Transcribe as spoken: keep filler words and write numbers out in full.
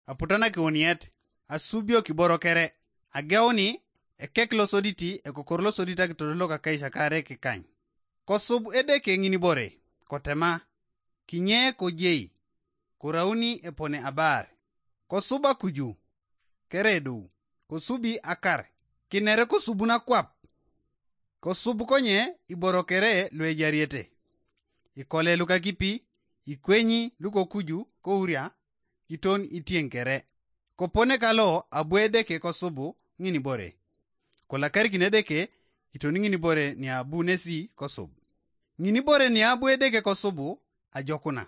aputan akiwuniet, asubiok iboro kere, ageuni ekek losoditi, ekokor losodit akitodolok akaisakare kikany. Kosub Edeke ŋinibore, kotema, kinye kojei, korauni epone abaar. Kosub akuju, keredou, kosubi akar, kinere kosubun akwap. Kosub konye iboro kere luejariete, ikole lukakipi, ikwenyi lukokuju kouria, iton itieŋ kere. Kopone kalo abu Edeke kosubu ŋinibore. Kolakarikin Edeke, iton ŋinibore niabu nesi kosub. Ŋinibore niabu Edeke kosubu ajokuna.